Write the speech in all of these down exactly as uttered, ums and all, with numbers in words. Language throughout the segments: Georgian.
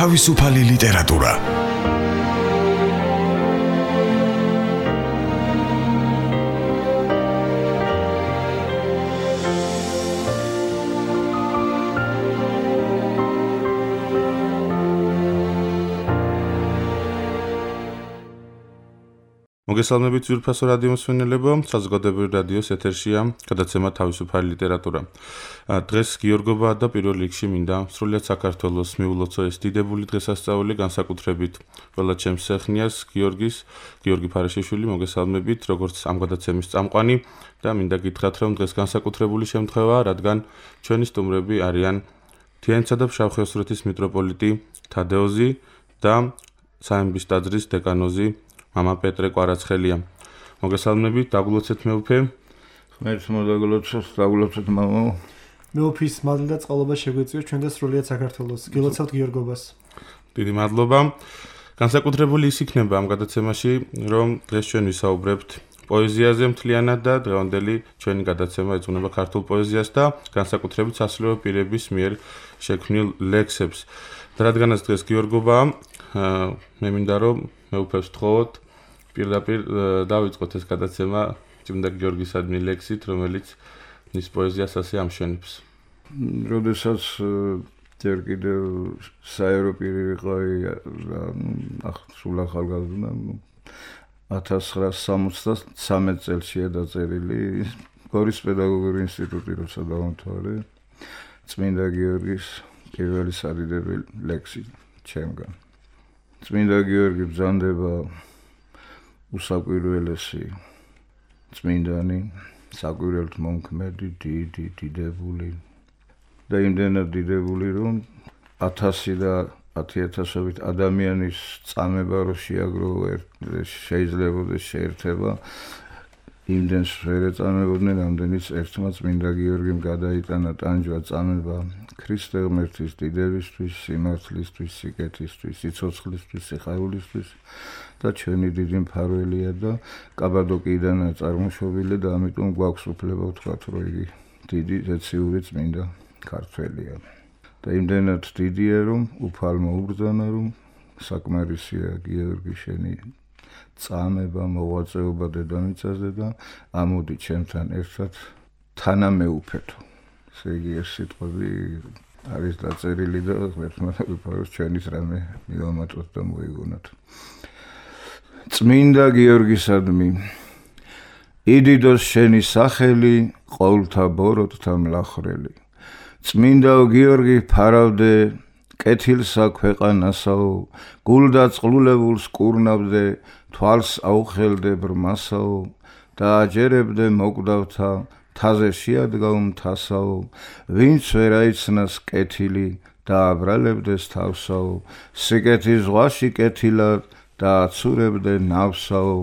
თავისუფალი ლიტერატურა. მოგესალმებით ძვირფასო რადიო მსმენელებო, საზოგადოებრივი რადიოს ეთერშია გადაცემა თავისუფალი ლიტერატურა. დღეს გიორგობა და პირველ რიგში მინდა სრულიად საქართველოს მიულოცო ეს დიდებული დღესასწაული, განსაკუთრებით ყველა ჩემს სეხნიას, გიორგის, გიორგი ფარეშიშვილი, მოგესალმებით, როგორც ამ გადაცემის წამყვანი და მინდა გითხრათ, რომ დღეს განსაკუთრებული შემთხვევაა, რადგან ჩვენი სტუმრები არიან თიანეთისა და ფშავ-ხევსურეთის მიტროპოლიტი თადეოზი და საემბის ტაძრის დეკანოზი მამა პეტრე კვარაცხელია. მოგესალმებით, დაგულოცეთ მეუფე. ღმერთს მოდაგულოცოთ, დაგულოცოთ მამა. მეუფის მადლი და წყალობა შეგვეწიოს ჩვენ და სრულიად საქართველოს. გილოცავთ გიორგობას. დიდი მადლობა. განსაკუთრებული ის იქნება ამ გადაცემაში, რომ დღეს ჩვენ ვისაუბრებთ პოეზიაზე მთლიანად და დღევანდელი ჩვენი გადაცემა ეძღვნება ქართულ პოეზიას და განსაკუთრებით სასულიერო პირების მიერ შექმნილ ლექსებს. და რადგანაც დღეს გიორგობაა, მე მინდა რომ მეუფებს ვთხოვოთ პირდაპირ დავიწყოთ ეს გადაცემა წმინდა გიორგისადმი ლექსით, რომელიც მის პოეზიას ასე ამშვენებს. როდესაც ჯერ კიდევ საერო პირი ვიყავი და სულ ახალგაზრდა ათას ცხრაას სამოცდასამი წელსია დაწერილი გორის პედაგოგიური ინსტიტუტი როცა დავამთავრე წმინდა გიორგის პირველი სადიდებელი ლექსი ჩემგან. წმინდა გიორგი ბრძანდება უსაკვირველესი წმინდანი, საკვირველთ მომქმედი, დიდი, დიდებული და იმდენად დიდებული, რომ ათასი და ათი ათასობით ადამიანის წამება რო შეაგროვა შეიძლებაოდეს შეერთება იმდენს ვერ ეწამებოდნენ, რამდენიც ერთმა წმინდა გიორგიმ გადაიტანა ტანჯვა წამება ქრისტე ღმერთის დიდებისთვის, სიმართლისთვის, სიკეთისთვის, სიცოცხლისთვის, სიხარულისთვის და ჩვენი დიდი მფარველია და კაბადოკიიდანაა წარმოშობილი და ამიტომ გვაქვს უფლება ვთქვათ, რომ იგი დიდი ზეციური წმინდა ქართველია. და იმდენად დიდია, რომ უფალ მოუბრძანა, რომ საკმარისია გიორგი შენი წამება, მოღვაწეობა დედამიწაზე და ამოდი ჩემთან ერთად თანამეუფეთო. ესე იგი ეს სიტყვები არის დაწერილი და ღმერთმა დაგვიფაროს ჩვენის რამე მივამატოთ და მოიგონოთ. წმინდა გიორგისადმი, იდიდოს შენი სახელი, ყოვლთა ბოროტთა მლახრელი. წმინდაო გიორგი ფარავდე, კეთილსა ქვეყანასაო, გულდა წყლულებულს კურნავდე, თვალს აუხელდე ბრმასაო, და აჯერებდე მოკვდავთა, თაზე შეადგავ მთასაო, ვინც ვერ აიცნას კეთილი და აბრალებდეს თავსაო, სიკეთის ზღვაში კეთილად და აცურებდე ნავსაო,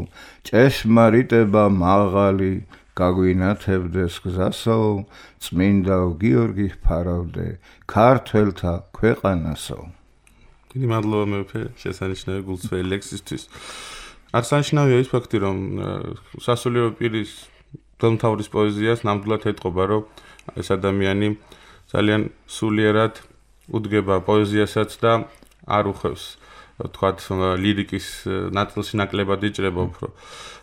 ჭეშმარიტება მაღალი გაგვინათებდეს გზასაო, წმინდაო გიორგი ფარავდე, ქართველთა ქვეყანასაო. დიდი მადლობა მეუფე შესანიშნავი გულწრფელი ლექსისთვის. აღსანიშნავია ის ფაქტი, რომ სასულიერო პირის დელმთავრის პოეზიას ნამდვილად ეტყობა, რომ ეს ადამიანი ძალიან სულიერად უდგება პოეზიასაც და არ უხევს, თქვათ, ლირიკის ნაწილში ნაკლებად იჭრება უფრო.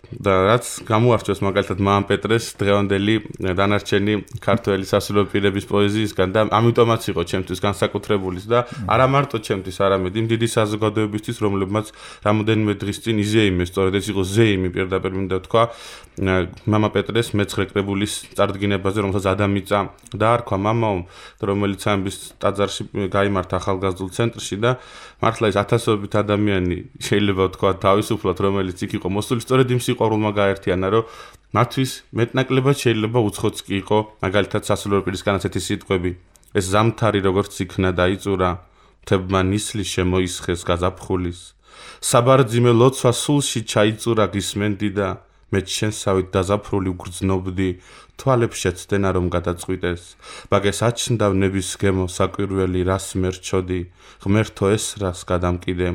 და რაც გამოარჩევს მაგალითად მამა პეტრეს დღევანდელი დანარჩენი ქართველი სასულიერო პირების პოეზიისგან და ამიტომაც იყო ჩემთვის განსაკუთრებულის და არა მარტო ჩემთვის, არამედ იმ დიდი საზოგადოებისთვის, რომლებმაც რამოდენიმე დღის წინ იზეიმეს, სწორედ ეს იყო ზეიმი პირდაპირ მინდა თქვა მამა პეტრეს მეცხრე კრებულის წარდგინებაზე, რომელსაც ადამიწა დაარქვა მამაო, რომელიც საემბის ტაძარში გაიმართა ახალგაზრდულ ცენტრში და მართლა ეს ათასობით ადამიანი შეიძლება თქვა თავისუფლად, რომელიც იქ იყო მოსული, სწორედ იმ სიყვარულმა გაერთიანა, რომ მათთვის მეტნაკლებად შეიძლება უცხოც კი იყო, მაგალითად სასულიერო პირისგან ასეთი სიტყვები. ეს ზამთარი როგორც იქნა დაიწურა, მთებმა ნისლი შემოისხეს გაზაფხულის. საბარძიმე ლოცვა სულში ჩაიწურა გისმენდი და მე შენსავით დაზაფრული უგრძნობდი, თვალებს შეცდენა რომ გადაწყვიტეს. ბაგეს აჩნდა ნების გემო საკვირველი რას მერჩოდი, ღმერთო ეს რას გადამკიდე.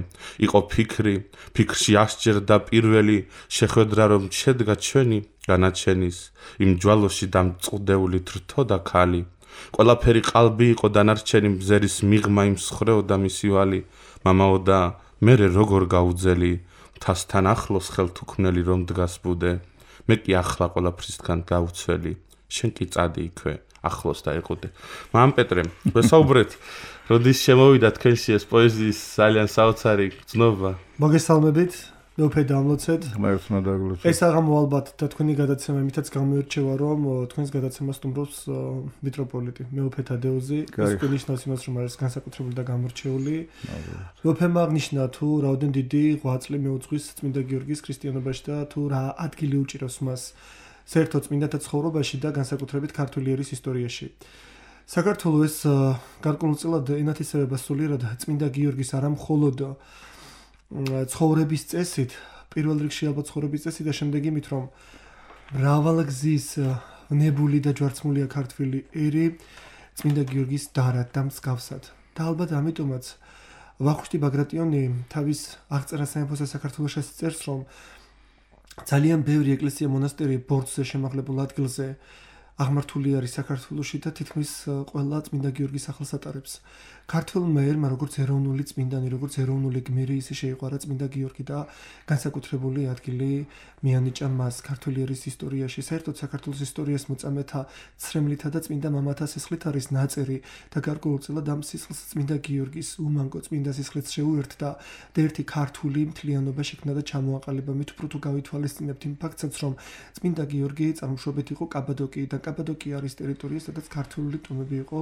იყო ფიქრი, ფიქრში ასჯერდა პირველი, შეხვედრა რომ შედგა ჩვენი განაჩენის, იმ ჯვალოში დამწყდეული თრთო და ქალი. ყველაფერი ყალბი იყო დანარჩენი მზერის მიღმა იმ სხრეო და მისი ვალი. მამაო და მე როგორ გაუძელი თასთან ახლოს ხელთუქმნელი რომ დგას ბუდე მე კი ახლა ყველაფრისგან გავუცველი შენ კი წადი იქვე ახლოს დაიყუდე მამ პეტრე ვესაუბრეთ როდის შემოვიდა თქვენში ეს პოეზიის ძალიან საოცარი გზნობა მოგესალმებით მეუფე დამლოცეთ ღმერთმა დაგლოცეთ ეს აღამო ალბათ და თქვენი გადაცემა იმითაც გამოირჩევა რომ თქვენს გადაცემას სტუმრობს მიტროპოლიტი მეუფე თადეოზი ეს გვინიშნავს იმას რომ არის განსაკუთრებული და გამორჩეული მეუფემ აღნიშნა თუ რაოდენ დიდი ღვაწლი მეუძღვის წმინდა გიორგის ქრისტიანობაში და თუ რა ადგილი უჭირავს მას საერთოდ წმინდათა ცხოვრებაში და განსაკუთრებით ქართული ერის ისტორიაში საქართველოს გარკვეულწილად ენათესავება სულიერად წმინდა გიორგის არა მხოლოდ ცხოვრების წესით, პირველ რიგში ალბათ ცხოვრების წესით და შემდეგ იმით, რომ მრავალგზის ნებული და ჯვარცმულია ქართული ერი წმინდა გიორგის დარად და მსგავსად. და ალბათ ამიტომაც ვახუშტი ბაგრატიონი თავის აღწერა სამეფოსა საქართველოში წერს, რომ ძალიან ბევრი ეკლესია მონასტერი ბორცვზე შემაღლებულ ადგილზე აღმართული არის საქართველოში და თითქმის ყველა წმინდა გიორგის სახელს ატარებს. ქართველმა ერმა როგორც ეროვნული წმინდანი, როგორც ეროვნული გმირი ისე შეიყვარა წმინდა გიორგი და განსაკუთრებული ადგილი მიანიჭა მას ქართული ერის ისტორიაში. საერთოდ საქართველოს ისტორიას მოწამეთა ცრემლითა და წმინდა მამათა სისხლით არის ნაწერი და გარკვეულწილად ამ სისხლს წმინდა გიორგის უმანკო წმინდა სისხლით შეუერთდა და ერთი ქართული მთლიანობა შექმნა და ჩამოაყალიბა. მით უფრო თუ გავითვალისწინებთ იმ ფაქტსაც, რომ წმინდა გიორგი წარმოშობით იყო კაბადოკიიდან. კაბადოკია არის ტერიტორია, სადაც ქართული ტომები იყო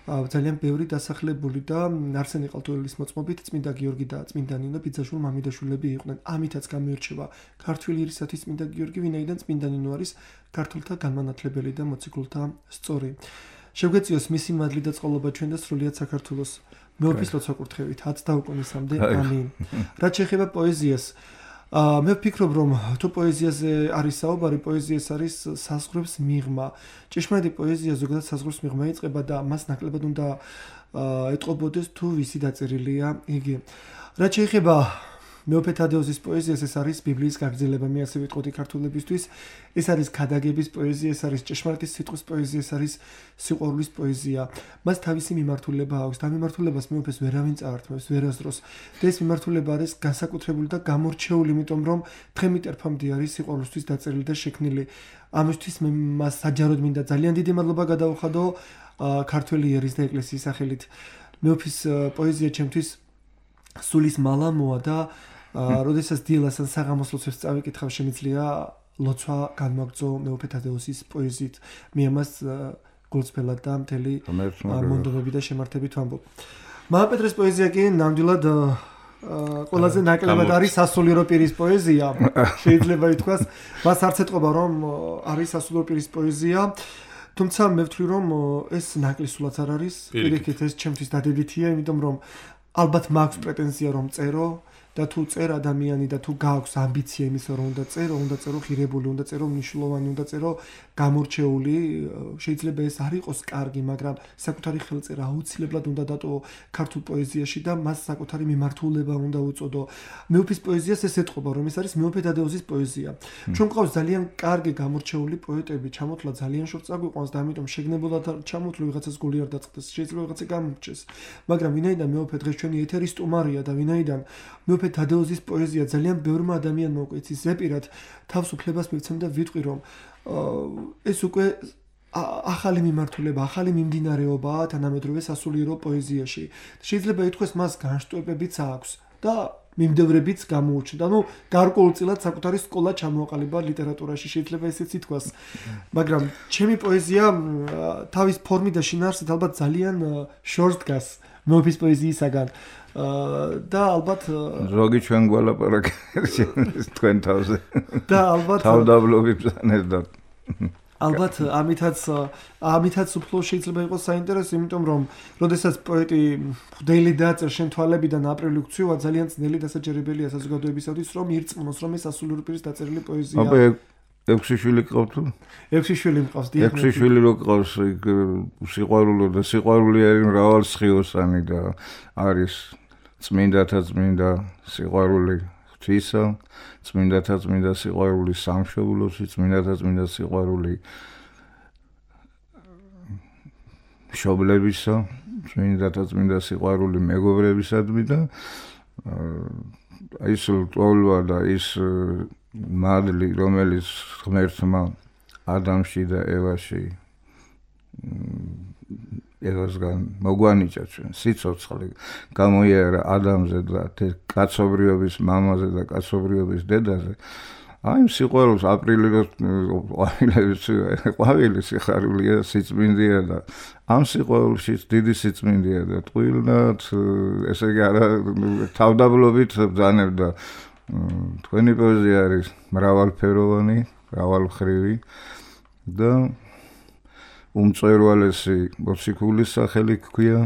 ძალიან ბევრი დასახლებული და არსენი ყალთუელის მოწმობით წმინდა გიორგი და წმინდა ნინო ბიძაშვილ მამიდაშვილები იყვნენ. ამითაც გამოირჩევა ქართული ერისათვის წმინდა გიორგი, ვინაიდან წმინდა ნინო არის ქართულთა განმანათლებელი და მოციქულთა სწორი. შეგვეციოს მისი მადლი და წყალობა ჩვენ და სრულიად საქართველოს. მეუფის ლოცვა კურთხევით ათს დაუკვირისამდე. ამინ. რაც შეეხება პოეზიას, მე ვფიქრობ, რომ თუ პოეზიაზე არის საუბარი, პოეზიას არის საზღვრებს მიღმა. ჭეშმარიტი პოეზია ზოგადად საზღვრებს მიღმა იწყება და მას ნაკლებად უნდა ეტყობოდეს თუ ვისი დაწერილია იგი. რაც შეეხება მეუფე თადეოზის პოეზიას, ეს არის ბიბლიის გაგრძელება, მე ასე ვიტყოდი ქართულებისთვის. ეს არის ქადაგების პოეზია, ეს არის ჭეშმარიტი სიტყვის პოეზია, ეს არის სიყვარულის პოეზია. მას თავისი მიმართულება აქვს და მიმართულებას მეუფეს ვერავინ წაართმევს, ვერასდროს. და ეს მიმართულება არის განსაკუთრებული და გამორჩეული, იმიტომ რომ თხემი ტერფამდე არის სიყვარულისთვის დაწერილი და შექმნილი. ამისთვის მე მას საჯაროდ მინდა ძალიან დიდი მადლობა გადავუხადო ქართველი ერის და ეკლესიის სახელით. მეუფის პოეზია ჩემთვის სულის მალამოა და როდესაც დილას ან საღამოს ლოცვებს წავიკითხავ, შემიძლია ლოცვა განმაგრძო მეუფე თადეოზის პოეზიით. მე ამას გულწრფელად და მთელი მონდომები და შემართებით ვამბობ. მამა პეტრეს პოეზია კი ნამდვილად ყველაზე ნაკლებად არის სასულიერო პირის პოეზია. შეიძლება ითქვას, მას არც ეტყობა რომ არის სასულიერო პირის პოეზია. თუმცა მე ვთვლი რომ ეს ნაკლისულად არ არის. პირიქით ეს ჩემთვის დადებითია, იმიტომ რომ ალბათ მაქვს პრეტენზია რომ წერო და თუ წერ ადამიანი და თუ გააქვს ამბიცია იმისა რომ უნდა წერო, უნდა წერო ხირებული, უნდა წერო მნიშვნელოვანი, უნდა წერო გამორჩეული, შეიძლება ეს არ იყოს კარგი, მაგრამ საკუთარი ხელწერა აუცილებლად უნდა დატო ქართულ პოეზიაში და მას საკუთარი მიმართულება უნდა უწოდო. მეუფის პოეზიას ეს ეტყობა, რომ ეს არის მეუფე თადეოზის პოეზია. ჩვენ გვყავს ძალიან კარგი გამორჩეული პოეტები, ჩამოთვლა ძალიან შორს წაგვიყვანს და ამიტომ შეგნებულად ჩამოთვლი ვიღაცას გული არ დაწყდეს, შეიძლება ვიღაცა გამორჩეს. მაგრამ ვინაიდან მეუფე დღეს ჩვენი ეთერის სტუმარია და ვინაიდან მეუფე თადეოზის პოეზია ძალიან ბევრმა ადამიანმა უკვე იცის ზეპირად, თავს უფლებას მივცემ და ვიტყვი, რომ ეს უკვე ახალი მიმართულება, ახალი მიმდინარეობაა თანამედროვე სასულიერო პოეზიაში. შეიძლება ითქვას, მას განშტოებებიც აქვს და მიმდევრებიც გამოუჩნდა. ანუ გარკვეულწილად საკუთარი სკოლა ჩამოაყალიბა ლიტერატურაში, შეიძლება ესეც ითქვას. მაგრამ ჩემი პოეზია თავის ფორმით და შინაარსით ალბათ ძალიან შორს დგას მეუფის პოეზიისაგან. და ალბათ ზოგი ჩვენ გვალაპარაკეთ თქვენ თავზე. და ალბათ თავდაბლობი ბრძანეს და ალბათ ამითაც ამითაც უფრო შეიძლება იყოს საინტერესო, იმიტომ რომ როდესაც პოეტი ხვდელი დააწერ შენ თვალებიდან აპრილი გწვივა, ძალიან ძნელი დასაჯერებელია საზოგადოებისათვის, რომ ირწმუნოს, რომ ეს სასულიერო პირის დაწერილი პოეზია. აბა ექვსი შვილი გყავთ? ექვსი შვილი მყავს, დიახ. ექვსი შვილი რო გყავს, სიყვარულო და სიყვარული არის მრავალსხიოსანი და არის წმინდათა წმინდა სიყვარული ღვთისა, წმინდათა წმინდა სიყვარული სამშობლოსი, წმინდათა წმინდა სიყვარული მშობლებისა წმინდა და წმინდა სიყვარული მეგობრებისადმი და ის ლტოლვა და ის მადლი, რომელიც ღმერთმა ადამში და ევაში ევასგან მოგვანიჭა ჩვენ სიცოცხლე გამოიარა ადამიანზე და კაცობრიობის მამაზე და კაცობრიობის დედაზე. აი სიყვარულს აპრილის ყვავილების ყვავილი სიხარულია სიწმინდეა და ამ სიყვარულში დიდი სიწმინდეა და ტყუილად ესე იგი არა თავდაბლობით ბრძანებდა თქვენი პოეზია არის მრავალფეროვანი, მრავალმხრივი და უმწვერვალესი მოციქულის სახელი ჰქვია,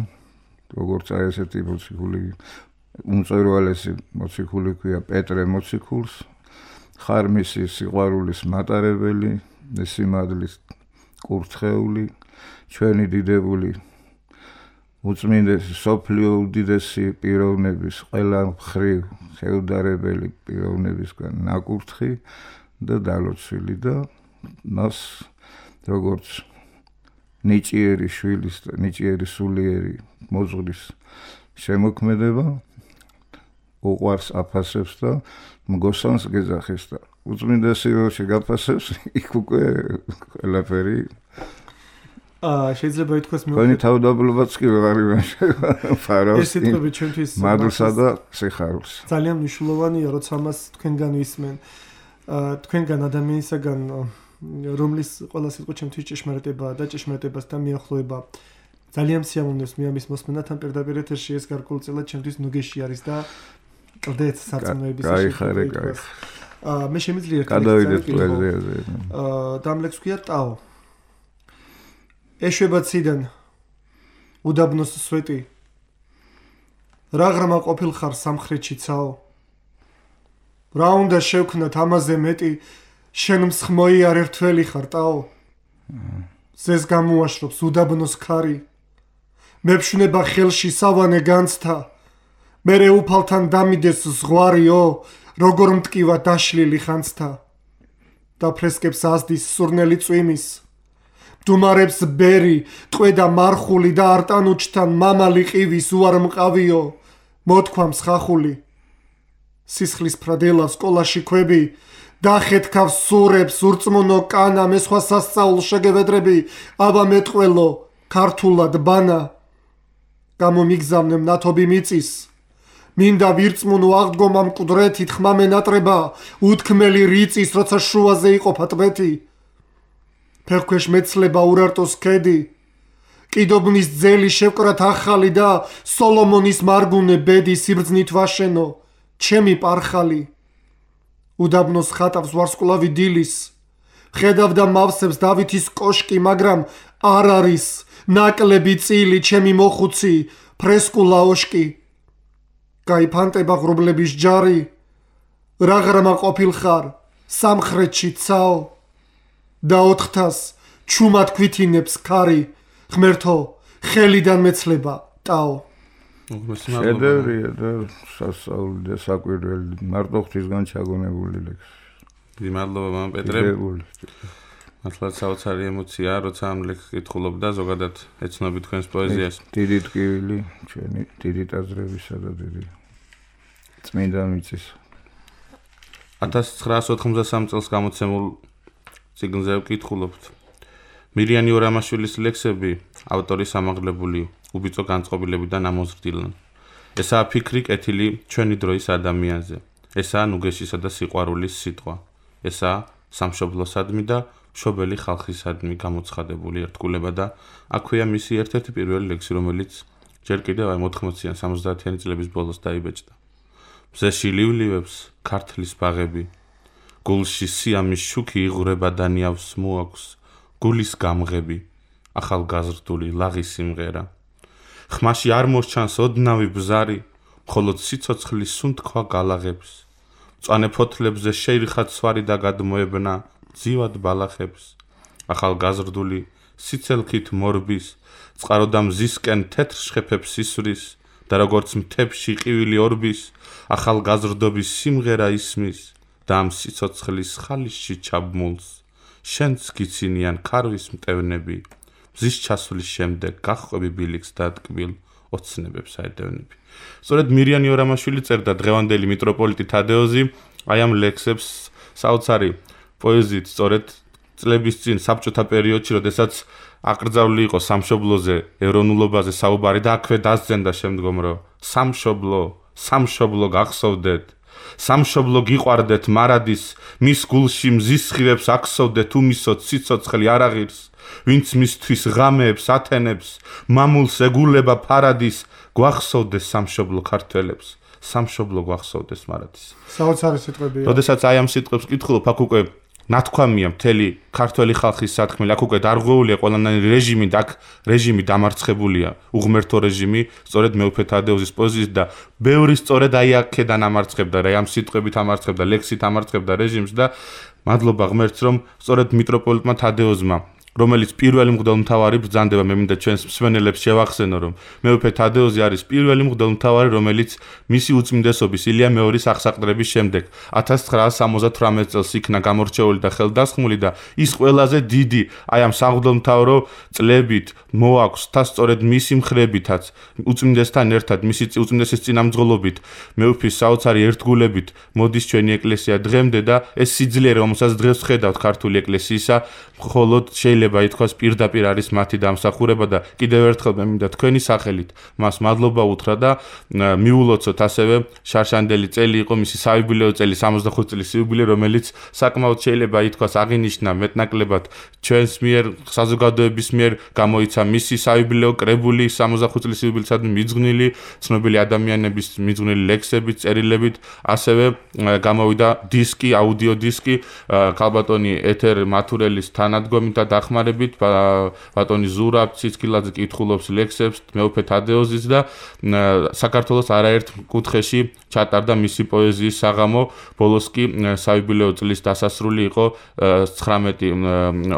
როგორც აი ესეთი მოციქული უმწვერვალესი მოციქული ჰქვია პეტრე მოციქულს. ხარ მისი სიყვარულის მატარებელი, სიმადლის კურთხეული, ჩვენი დიდებული უწმინდესი სოფლიო უდიდესი პიროვნების ყველა მხრივ შეუდარებელი პიროვნებისგან ნაკურთხი და დალოცვილი და მას როგორც ნიჭიერი შვილის და ნიჭიერი სულიერი მოძღვრის შემოქმედება უყვარს აფასებს და მგოსანს გეძახის და უწმინდესი როში გაფასებს იქ უკვე ყველაფერი აა შეიძლება ითქვას მე თქვენი თავდაბლობაც კი ვეღარ იმაშება ფარავს ეს სიტყვები ჩვენთვის მადლსა და სიხარულს ძალიან მნიშვნელოვანია როცა მას თქვენგან ვისმენ აა თქვენგან ადამიანისაგან რომლის ყველა სიტყვა ჩემთვის ჭეშმარიტებაა და ჭეშმარიტებასთან მიახლოება ძალიან სიამოვნებს მე ამის მოსმენათან პირდაპირ ეთერში ეს გარკვეულწილად ჩემთვის ნუგეში არის და კლდეც საწმოების გაიხარე გაიხარე აა მე შემიძლია ერთი გადავიდეთ პოეზიაზე აა დამლექს ქვია ტაო ეშვება ციდან უდაბნოს სვეტი რაღრამა ყოფილხარ სამხრეთში ცაო რა უნდა შევქნათ ამაზე მეტი შენ მსხმოი არ ერთველი ხარ ტაო ზეს გამოაშრობს უდაბნოს ქარი მეფშნება ხელში სავანე განცთა მერე უფალთან დამიდეს ზღვარიო როგორ მტკივა დაშლილი ხანცთა და ფრესკებს ასდის სურნელი წვიმის დუმარებს ბერი ტყვედა მარხული და არტანუჩთან მამალი ყივის უარ მყავიო მოთქვამს ხახული სისხლის ფრადელა სკოლაში ქვები დახეთქავს სურებს ურწმუნო კანა მე სხვა სასწაულ შეგევედრები აბა მეტყველო ქართულად ბანა გამომიგზავნე მნათობი მიწის მინდა ვირწმუნო აღდგომა მკვდრეთით ხმა მენატრება უთქმელი რიწის როცა შუაზე იყოფა ტბეთი ფეხქვეშ მეცლება ურარტოს ქედი კიდობნის ძელი შევკრათ ახალი და სოლომონის მარგუნე ბედი სიბრძნით ვაშენო ჩემი პარხალი უდაბნოს ხატავს ვარსკვლავი დილის ხედავდა მავსებს დავითის კოშკი მაგრამ არ არის ნაკლები წილი ჩემი მოხუცი ფრესკულა ოშკი გაიფანტება ღრუბლების ჯარი რაღრამა ყოფილხარ სამხრეთში ცაო და ოთხთას ჩუმად ქვითინებს ქარი ღმერთო ხელიდან მეცლება ტაო შედევრია და სასწაული და საკვირველი მარტო ღვთისგან ჩაგონებული ლექსი დიდი მადლობა მამ პეტრე მართლაც საოცარი ემოცია როცა ამ ლექსს კითხულობდა ზოგადად ეცნობი თქვენს პოეზიას დიდი ტკივილი ჩვენი დიდი ტაძრებისა და დიდი წმინდა მიწის ათას ცხრაას ოთხმოცდასამი წელს გამოცემულ წიგნზე ვკითხულობთ მირიანი ორამაშვილის ლექსები ავტორის ამაღლებული უბიწო განწყობილებიდან ამოზრდილან ესაა ფიქრი კეთილი ჩვენი დროის ადამიანზე ესაა ნუგეშისა და სიყვარულის სიტყვა ესაა სამშობლოსადმი და მშობელი ხალხისადმი გამოცხადებული ერთგულება და აქვეა მისი ერთ-ერთი პირველი ლექსი რომელიც ჯერ კიდევ აი მოთხმოციან სამოცდაათიანი წლების ბოლოს დაიბეჭდა მზეში ლივლივებს ქართლის ბაღები გულში სიამის შუქი იღვრება და ნიავს მოაქვს გულის გამღები ახალგაზრდული ლაღი სიმღერა ხმაში არ მოსჩანს ოდნავი ბზარი მხოლოდ სიცოცხლის სუნთქვა გალაღებს მწვანე ფოთლებზე შეირხა ცვარი და გადმოებნა ძივად ბალახებს ახალგაზრდული სიცელქით მორბის წყარო და მზისკენ თეთრ შხეფებს ისვრის და როგორც მთებში ყივილი ორბის ახალგაზრდობის სიმღერა ისმის და ამ სიცოცხლის ხალისში ჩაბმულს შენც გიცინიან ქარვის მტევნები მზის ჩასulis შემდეგ გახყვები ბილიქს და ტკბილ ოცნებებს აედევნები. სწორედ მირიანი ორამაშვილი წერდა დღევანდელი მიტროპოლიტი თადეოზი აი ამ ლექსებს საოცარი პოეზიით სწორედ წლების წინ საბჭოთა პერიოდში, როდესაც აკრძალული იყო სამშობლოზე, ეროვნულობაზე საუბარი და აქვე დასძენდა შემდგომ, რომ სამშობლო, სამშობლო გახსოვდეთ, სამშობლო გიყვარდეთ მარადის, მის გულში მზის ხილებს აქსოვდეთ უმისოთ სიცოცხლე არ აღირს, ვინც მისთვის ღამეებს ათენებს, მამულს ეგულება ფარადის, გვახსოვდეს სამშობლო ქართველებს, სამშობლო გვახსოვდეს მარადის. საოცარი სიტყვებია. როდესაც აი ამ სიტყვებს ვკითხულობ, აქ უკვე ნათქვამია მთელი ქართველი ხალხის სათქმელი, აქ უკვე დარღვეულია ყველანაირი რეჟიმი და აქ რეჟიმი დამარცხებულია, უღმერთო რეჟიმი, სწორედ მეუფე თადეოზის პოზიციით და ბევრი სწორედ აი აქედან ამარცხებდა, რა ამ სიტყვებით ამარცხებდა, ლექსით ამარცხებდა რეჟიმს და მადლობა ღმერთს, რომ სწორედ მიტროპოლიტმა თადეოზმა, რომელიც პირველი მღვდელმთავარი ბრძანდება, მე მინდა ჩვენს მსმენელებს შევახსენო, რომ მეუფე თადეოზი არის პირველი მღვდელმთავარი, რომელიც მისი უწმინდესობის ილია მეორის აღსაყდრების შემდეგ ათას ცხრაას სამოცდათვრამეტ წელს იქნა გამორჩეული და ხელდასხმული და ის ყველაზე დიდი აი ამ სამღვდელმთავრო წლებით მოაქვს და სწორედ მისი მხრებითაც უწმინდესთან ერთად მისი უწმინდესის წინამძღოლობით მეუფის საოცარი ერთგულებით მოდის ჩვენი ეკლესია დღემდე და ეს სიძლიერე, რომელსაც დღეს ვხედავთ ქართული ეკლესიისა, მხოლოდ შეიძლება ითქვას პირდაპირ არის მათი დამსახურება და კიდევ ერთხელ მე მინდა თქვენი სახელით მას მადლობა უთხრა და მიულოცოთ ასევე შარშანდელი წელი იყო მისი საიუბილეო წელი, სამოცდახუთი წლის იუბილე, რომელიც საკმაოდ შეიძლება ითქვას აღინიშნა მეტნაკლებად ჩვენს მიერ საზოგადოების მიერ გამოიცა მისი საიუბილეო კრებული სამოცდახუთი წლის იუბილისადმი მიძღვნილი ცნობილი ადამიანების მიძღვნილი ლექსებით, წერილებით, ასევე გამოვიდა დისკი, აუდიო დისკი ქალბატონი ეთერ მათურელის თანადგომით და დახმარებით, ბატონი ზურაბ ციცქილაძე კითხულობს ლექსებს მეუფე თადეოზის და საქართველოს არაერთ კუთხეში ჩატარდა მისი პოეზიის საღამო, ბოლოს კი საიუბილეო წლის დასასრული იყო ცხრამეტი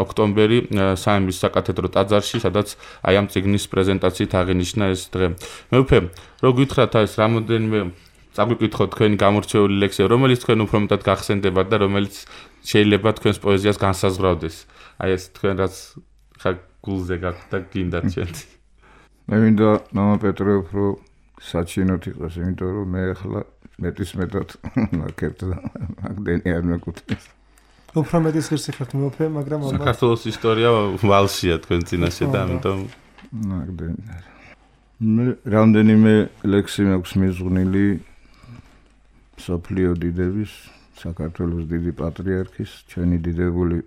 ოქტომბერი საიმის საკათედრო ტაძარში, სადაც აი ამ წიგნის პრეზენტაციით აღინიშნა ეს დღე. მეუფე, რო გითხრათ ეს რამოდენიმე წაგვიკითხოთ თქვენი გამორჩეული ლექსი, რომელიც თქვენ უფრო მეტად გახსენდებათ და რომელიც შეიძლება თქვენს პოეზიას განსაზღვრავდეს. აი ეს თქვენ რაც ხა გულზე გაქვთ და გინდათ ჩვენ. მე მინდა მამა პეტრე უფრო საჩინოთ იყოს, იმიტომ რომ მე ახლა მეტის მეტად ნაკერტ და მაგდენი არ მეკუთვნის. უფრო მეტის ღირსი ხართ მეუფე, მაგრამ საქართველოს ისტორია ვალშია თქვენ წინაშე და ამიტომ მაგდენი. მე რამდენიმე ლექსი მაქვს მიზღვნილი სოფლიო დიდების, საქართველოს დიდი პატრიარქის, ჩვენი დიდებული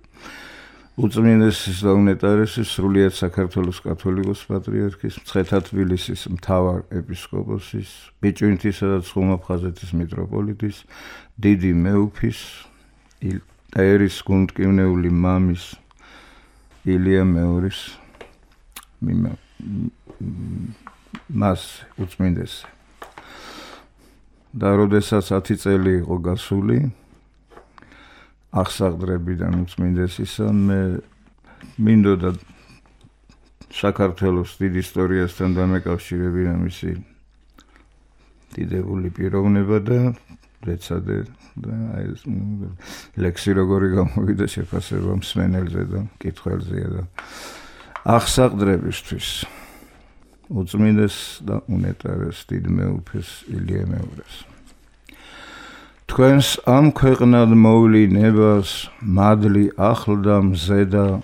უწმინდესის და უნეტარესის, სრულიად საქართველოს კათოლიკოს პატრიარქის, მცხეთა თბილისის მთავარ ეპისკოპოსის, ბიჭვინთისა და ცხულმოხაზეთის მიტროპოლიტის, დიდი მეუფის, და ერის გუნდკივნეული მამის ილია მეორის მიმა მას უწმინდესი. და როდესაც ათი წელი იყო გასული აღსაყდრებიდან უწმინდესისა, მე მინდოდა საქართველოს დიდ ისტორიასთან დამეკავშირებინა მისი დიდებული პიროვნება და ვეცადე და ეს ლექსი როგორი გამოვიდა შეფასება მსმენელზე და მკითხველზეა და აღსაყდრებისთვის უწმინდეს და უნეტარეს დიდ მეუფეს ილია მეურეს. თქვენს ამ ქვეყნად მოვლი ნებას მადლი ახლდა მზედა,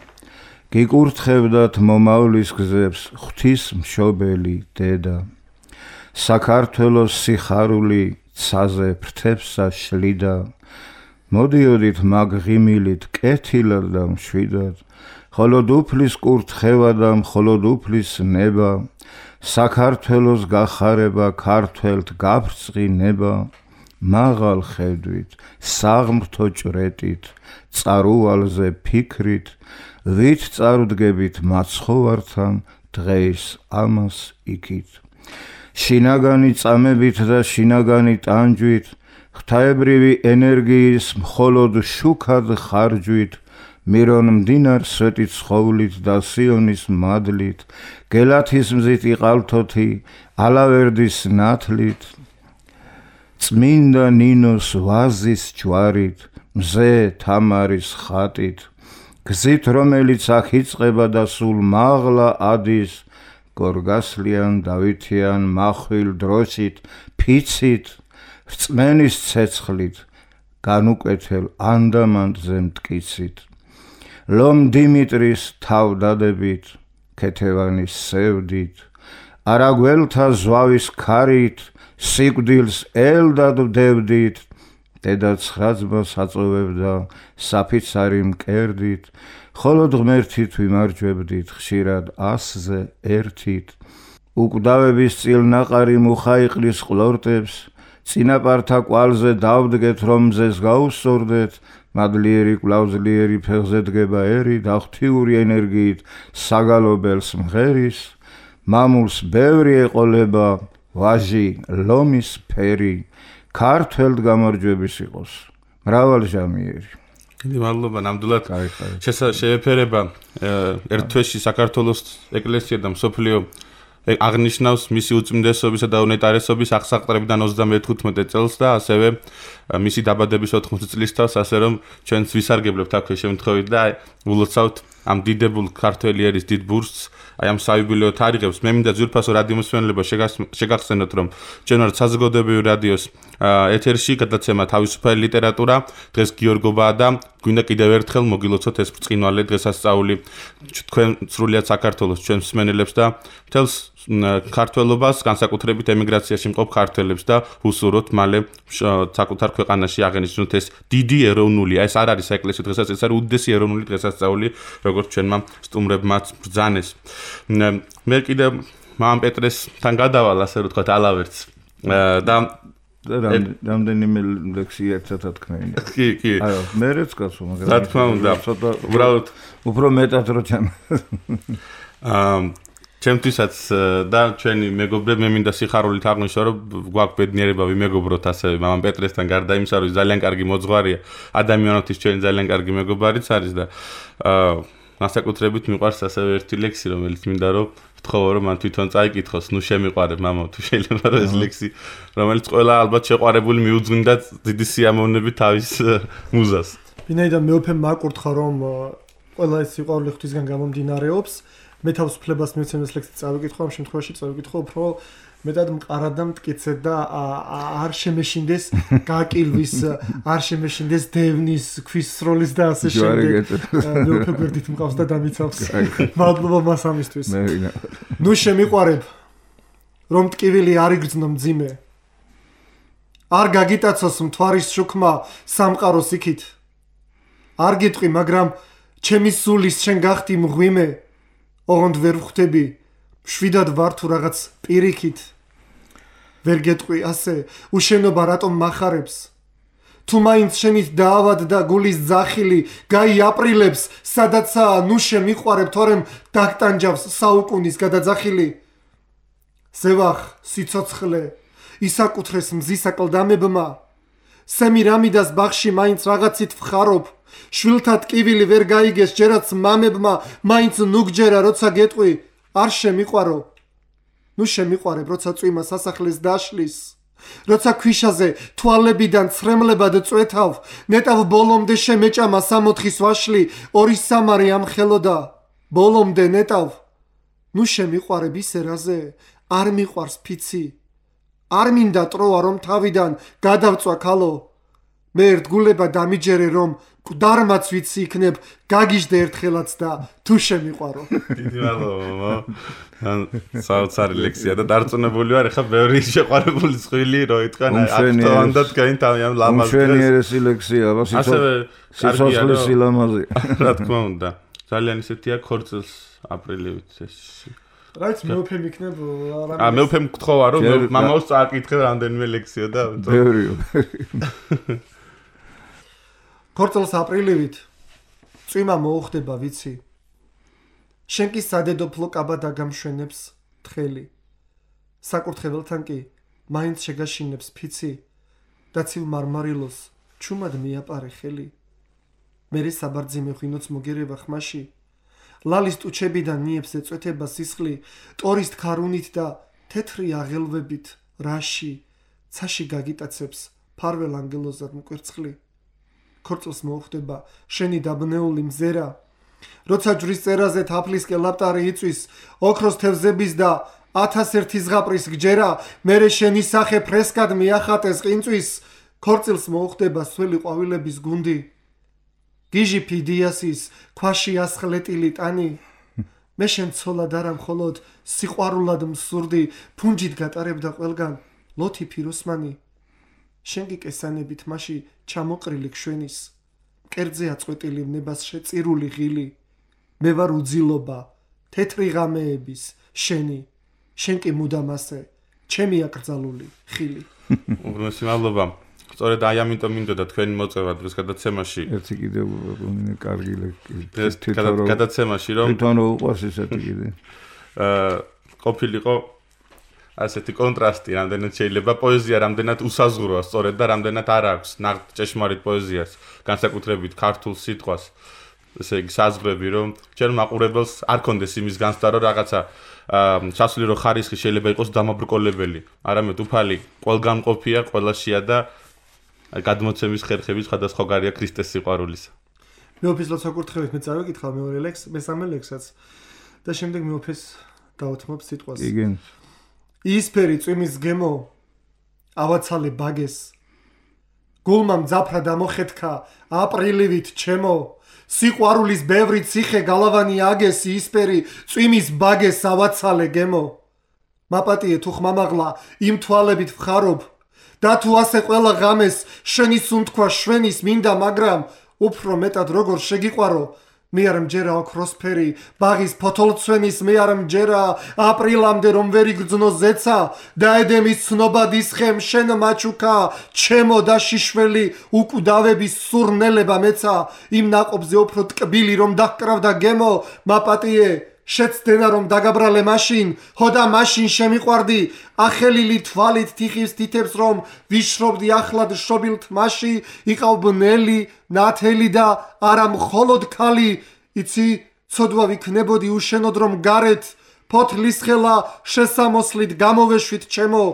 გიკურთხებდათ მომავლის გზებს ღვთის მშობელი დედა. საქართველოს სიხარული ცაზე ფრთებსა შლიდა, მოდიოდით მაგ ღიმილით კეთილად და მშვიდად, ხოლო უფლის კურთხევა და მხოლოდ უფლის ნება, საქართველოს გახარება ქართველთ გაბრწყინება, მაღალ ხედვით, საღმრთო ჭრეტით, წარუვალზე ფიქრით, ვით წარუდგებით მაცხოვართან დღეს ამას იქით. შინაგანი წამებით და შინაგანი ტანჯვით, ღვთაებრივი ენერგიის მხოლოდ შუქად ხარჯვით, მირონ მდინარ სვეტით ცხოვლით და სიონის მადლით, გელათის მზით იყალთოთი, ალავერდის ნათლით, წმინდა ნინოს ვაზის ჯვარით, მზე თამარის ხატით, გზით რომელიც აქ იწყება და სულ მაღლა ადის გორგასლიან დავითიან מחვილ დროსით ფიცით რწმენის ცეცხლით განუკვეთელ ანდამანტზე მტკიცით ლომ დიმიტრის თავდადებით ქეთევანის სევდით არაგველთა ზვავის ქარით სიკვდილს ელდად ვდებდით დედა ცხრაძმას აწოვებდა საფიცარი მკერდით ხოლო ღმერთით ვიმარჯვებდით ხშირად ასზე ერთით უკვდავების წილნაყარი მუხა იყლის ყლორტებს წინაპართა კვალზე დავდგეთ რომ მზეს გაუსწორდეთ მადლიერი კვლავზლიერი ფეხზე დგება ერი და ღვთიური ენერგიით საგალობელს მღერის მამულს ბევრი ეყოლება ვაჟი ლომის ფერი ქართველ გამარჯვების იყოს მრავალჟამიერი დიდი მადლობა ნამდვილად შეეფერება ერთ თვეში საქართველოს ეკლესია და მსოფლიო აღნიშნავს მისი უწმინდესობისა და უნეტარესობის აღსაყრებიდან ოცდამეთხუთმეტე წელს და ასევე მისი დაბადების ოთხმოცი წლის თავს ასე რომ ჩვენც ვისარგებლებთ აქვე შემთხვევით და ულოცავთ ამ დიდებულ ქართველი ერის დიდ ბურსს აი ამ საიუბილეო თარიღებს მე მინდა ძვირფასო რადიო მსმენელობა შეგახსენოთ რომ ჩვენ ვართ საზოგადოებრივი რადიოს ეთერში გადაცემა თავისუფალი ლიტერატურა დღეს გიორგობაა და გვინდა კიდევ ერთხელ მოგილოცოთ ეს ბრწყინვალე დღესასწაული თქვენ სრულიად საქართველოს ჩვენ მსმენელებს და მთელს ქართველობას განსაკუთრებით ემიგრაციაში მყოფ ქართველებს და უსურვოთ მალე საკუთარ ქვეყანაში აღენიშნოთ ეს დიდი ეროვნული ეს არ არის საეკლესიო დღესასწაული ეს არის უდიდესი ეროვნული დღესასწაული როგორც ჩვენმა სტუმრებმაც ბრძანეს მე კიდევ მამამ პეტრესთან გადავალ ასე რომ თქვა ალავერts და რამდენიმე ლექსი ერთად თქვენი. კი, კი. არა, მე რეც გასულ, მაგრამ რა თქმა უნდა, ცოტა უბრალოდ უფრო მეტად რო ჩემ. აა ჩემთვისაც და ჩვენი მეგობრები მე მინდა სიხარულით აღნიშნო რომ გვაქვს ბედნიერება ვიმეგობროთ ასევე მამამ პეტრესთან გარდა იმისა რომ ძალიან კარგი მოძღვარია ადამიანობის ჩვენი ძალიან კარგი მეგობარიც არის და აა განსაკუთრებით მიყვარს ასევე ერთი ლექსი რომელიც მინდა რომ ვთხოვო რომ მან თვითონ წაიკითხოს ნუ შემიყვარებ მამო თუ შეიძლება რომ ეს ლექსი რომელიც ყველა ალბათ შეყვარებული მიუძღვინდა დიდი სიამოვნებით თავის მუზას ვინაიდან მეუფემ მაკურთხა რომ ყველა ეს სიყვარული ღვთისგან გამომდინარეობს მე თავისუფლებას მივცემ ეს ლექსი წავიკითხო ამ შემთხვევაში წავიკითხო უფრო მეტად მყარად და მტკიცედ და არ შემეშინდეს გაკილვის არ შემეშინდეს დევნის ქვისროლის და ასე შემდეგ მეუფე გვერდით მყავს და დამიცავს მადლობა მას ამისთვის ნუ შემიყვარებ რომ ტკივილი არ იგრძნო მძიმე არ გაგიტაცოს მთვარის შუქმა სამყაროს იქით არ გიტყვი მაგრამ ჩემი სულის შენ გახდი მღვიმე ოღონდ ვერ ვხვდები შვიდად ვარ თუ რაღაც პირიქით ვერ გეტყვი ასე უშენობა რატომ მახარებს თუ მაინც შენით დაავად და გულის ძახილი გაიაპრილებს სადაცაა ნუ შემიყვარებ თორემ დაგტანჯავს საუკუნის გადაძახილი ზევახ სიცოცხლე ისაკუთრეს მზის აკლდამებმა სემირამიდას ბაღში მაინც რაღაცით ვხარობ შვილთა ტკივილი ვერ გაიგეს ჯერაც მამებმა მაინც ნუ გჯერა როცა გეტყვი არ შემიყვარო ნუ შემიყვარებ როცა წვიმა სასახლეს დაშლის როცა ქვიშაზე თვალებიდან ცრემლებად წვეთავ ნეტავ ბოლომდე შემეჭამა სამოთხის ვაშლი ორი სამარი ამხელოდა ბოლომდე ნეტავ ნუ შემიყვარებ ისე რაზე არ მიყვარს ფიცი არ მინდა ტროა რომ თავიდან გადავწვა ქალო მე ერთგულება დამიჯერე რომ გვდარმაც ვიცი იქნებ გაგიჟდე ერთხელაც და თუ შემიყვარო დიდი მადლობა ან საოცარი ლექსია და დარწმუნებული ვარ ხა ბევრი შეყვარებული წვილი რო ითქვა აქტუანდად გაინთავი ამ ლამაზ ჩვენიერესი ლექსია ასევე სიცოცხლის სილამაზე რა თქმა უნდა ძალიან ისეთია ქორწილს აპრილივით ეს რაც მეუფემ იქნებ ა მეუფემ გთხოვა რომ მამაოს წააკითხე რამდენიმე ლექსია და ბევრი ქორწილს აპრილივით წვიმა მოუხდება ვიცი შენ კი სადედოფლო კაბა დაგამშვენებს თხელი საკურთხეველთან კი მაინც შეგაშინებს ფიცი და ცივ მარმარილოს ჩუმად მიაპარე ხელი მერე საბარძიმე ღვინოც მოგერება ხმაში ლალის ტუჩებიდან ნიებს ეწვეთება სისხლი ტორის ქარუნით და თეთრი აღელვებით რაში ცაში გაგიტაცებს ფარველ ანგელოზად მკვერცხლი ქორწილს მოუხდება შენი დაბნეული მზერა როცა ჯვრის წერაზე თაფლისკენ ლაპტარი იწვის, ოქროს თევზების და ათასერთი ზღაპრის გჯერა, მერე შენი სახე ფრესკად მიახატეს ყინწვის, ქორწილს მოუხდება სველი ყვავილების გუნდი. გიჟი ფიდიასის ქვაში ასხლეტილი ტანი, მე შენ ცოლად არა მხოლოდ სიყვარულად მსურდი, ფუნჯით გატარებდა ყველგან ლოთი ფიროსმანი. შენ კი კესანებით მასში ჩამოყრილი შვენის, მკერდზე აწყვეტილი ვნებას შეწირული ღილი. მე ვარ უძილობა, თეთრი ღამეების, შენი, შენ კი მუდამ ასე, ჩემი აკრძალული ხილი. უბრალოდ მადლობა. სწორედ აი ამიტომ მინდოდა თქვენი მოწევა დღეს გადაცემაში. ერთი კიდევ რამე კარგი ეს გადაცემაში რომ თვითონ უყვარს ესეთი კიდე. აა ყოფილიყო ასეთი კონტრასტი, რამდენად შეიძლება პოეზია რამდენად უსაზღვროა სწორედ და რამდენად არ აქვს ნაღდ ჭეშმარიტ პოეზიას, განსაკუთრებით ქართულ სიტყვას. ესე იგი საზღვრები რომ ჩვენ მაყურებელს არ კონდეს იმის განცდა რომ რაღაცა სასულიერო ხარისხი შეიძლება იყოს დამაბრკოლებელი, არამედ უფალი ყველგანყოფია, ყველაშია და გადმოცემის ხერხები სხვადასხვაგვარია ქრისტეს სიყვარულისა. მეუფის ლოცვა-კურთხევით მე წავიკითხავ მეორე ლექს, მესამე ლექსაც და შემდეგ მეუფეს დავუთმობ სიტყვას. igen. ისფერი წვიმის გემო ავაცალე ბაგეს. გულმა მძაფრა დამოხეთქა აპრილივით ჩემო. სიყვარულის ბევრი ციხე გალავანი აგეს ისფერი წვიმის ბაგეს ავაცალე გემო. მაპატიე თუ ხმამაღლა იმ თვალებით ვხარობ და თუ ასე ყველა ღამეს შენი სუნთქვა შვენის მინდა, მაგრამ უფრო მეტად როგორ შეგიყვარო, მე არ მჯერა ოქროსფერი ბაღის ფოთოლცვენის, მე არ მჯერა აპრილამდე რომ ვერ იგრძნო ზეცა და ედემის ცნობადის ხემ შენ მაჩუკა, ჩემო და შიშველი უკვდავების სურნელება მეცა, იმ ნაყოფზე უფრო ტკბილი რომ დაგკრავდა გემო, მაპატიე შეცდენა რომ დაგაბრალე მაშინ, ხო და მაშინ შემიყვარდი, ახელილი თვალით თიხის თითებს რომ ვიშრობდი ახლად შობილ თმაში, იყავ ბნელი, ნათელი და არა მხოლოდ ქალი, იცი ცოდვა ვიქნებოდი უშენოდ რომ გარეთ, ფოთლის ხელა შესამოსლით გამოვეშვით ჩემო,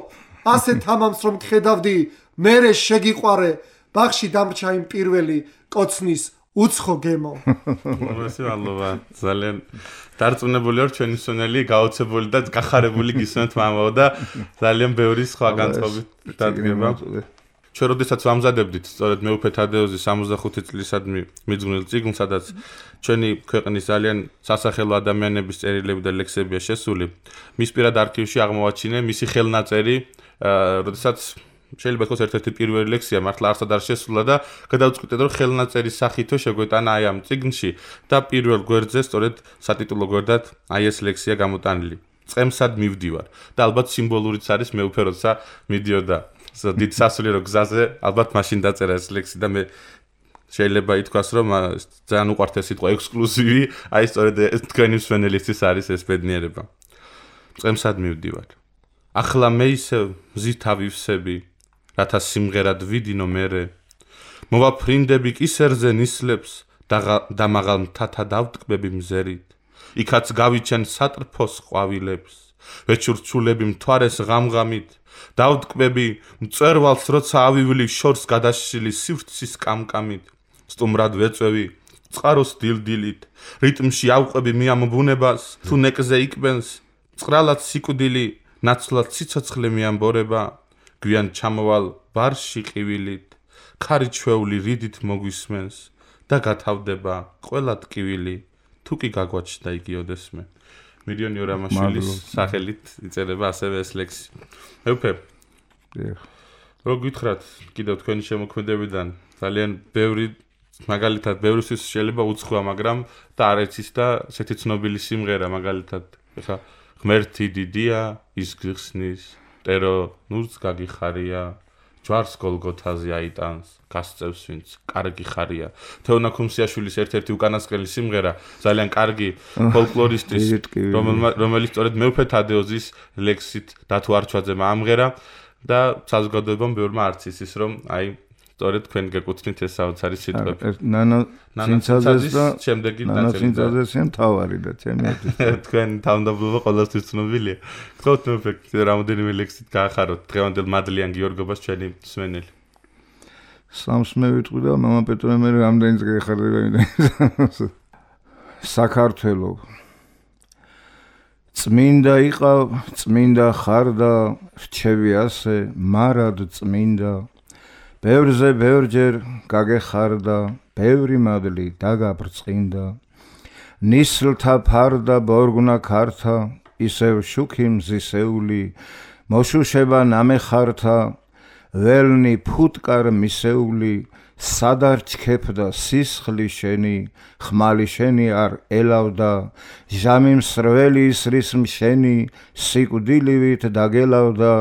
ასე თამამს რომ გხედავდი, მერე შეგიყვარე, ბაღში დამრჩა იმ პირველი კოცნის უცხო გემო. მადლობა, ძალიან დარწმუნებული ვარ ჩვენი მსმენელი გაოცებული და გახარებული გისმენთ მამაო და ძალიან ბევრი სხვა განწყობით დადგება. ჩვენ როდესაც ვამზადებდით სწორედ მეუფე თადეოზის სამოცდახუთი წლისადმი მიძღვნილ წიგნს, სადაც ჩვენი ქვეყნის ძალიან სასახელო ადამიანების წერილები და ლექსებია შესული, მის პირად არქივში აღმოვაჩინე მისი ხელნაწერი, როდესაც შეიძლება თქოს ერთ-ერთი პირველი ლექსია, მართლა არსად არ შესულა და გადავწყვიტე რომ ხელნაწერის სახითო შეგვეტანა აი ამ წიგნში და პირველ გვერდზე სწორედ სატიტულო გვერდად აი ეს ლექსია გამოტანილი. წემსად მივდივარ და ალბათ სიმბოლურიც არის მეუფე როცა მიდიოდა დიდ სასულიერო გზაზე, ალბათ მაშინ დაწერა ეს ლექსი და მე შეიძლება ითქვას რომ ძალიან უყვართ ეს სიტყვა ექსკლუზივი, აი სწორედ თქვენი მსმენელისთვის არის ეს ბედნიერება. წემსად მივდივარ. ახლა მე ისე მზით ავივსები რათა სიმღერად ვიდინო მერე, მოვაფრინდები კისერზე ნისლებს და მაღალ მთათა დავტკბები მზერით, იქაც გავიჩენ სატრფოს ყვავილებს, ვეჩურჩულები მთვარეს ღამღამით, დავტკბები მწერვალს როცა ავივლი შორს გადაშლილი სივრცის კამკამით, სტუმრად ვეწვევი წყაროს დილდილით, რიტმში ავყვები მიამ ბუნებას, თუ ნეკზე იკბენს წყრალად სიკვდილი, ნაცვლად სიცოცხლე მიამბორება, გვიან ჩამოვალ ბარში ყივილით, ქარი ჩვეული რიდით მოგვისმენს და გათავდება ყველა ტკივილი, თუ კი გაგვაჩნდა იგი ოდესმე. მირიონი ორამაშვილის სახელით იწერება ასევე ეს ლექსი. მეუფე, რო გითხრათ კიდევ თქვენი შემოქმედებიდან ძალიან ბევრი, მაგალითად ბევრისთვის შეიძლება უცხოა, მაგრამ და არ ეცის და ესეთი ცნობილი სიმღერა, მაგალითად ეხა ღმერთი დიდია, ის გიხსნის, ტერო ნურს გაგიხარია, ჯვარს გოლგოთაზე აიტანს, გასწევს ვინც კარგი ხარია. თეონა ქუმსიაშვილის ერთ-ერთი უკანასკნელი სიმღერა, ძალიან კარგი ფოლკლორისტის, რომელიც სწორედ მეუფე თადეოზის ლექსით დათო არჩვაძემ ამღერა და საზოგადოებამ ბევრმა არც იცის, რომ აი სწორედ თქვენ გეკუთვნით ეს საოცარი სიტყვები. ნანა ცინცაძეს და შემდეგი ნანა ცინცაძესიან თავარი და ჩემი თქვენ თავმდაბლობა ყოველთვის ცნობილია. გთხოვთ მეუფე რამოდენიმე ლექსით გაახაროთ დღევანდელ მადლიან გიორგობას ჩვენი მსმენელი. სამს მე ვიტყვი და მამა პეტრე მე რამდენი დღე ხარდება იმდენ. საქართველო წმინდა იყავ, წმინდა ხარ და რჩევი ასე, მარად წმინდა. ბევრზე ბევრჯერ გაგეხარდა, ბევრი მადლი დაგაბრწყინდა. ნისლთა ფარდა ბორგნა ქართა, ისევ შუქი მზისეული, მოშუშება ნამეხართა, ველნი ფუტკარ მისეული, სადარჩქეფდა სისხლი შენი, ხმალი შენი არ ელავდა, ჟამი მსრველი ისრის მშენი, სიკვდილივით დაგელავდა,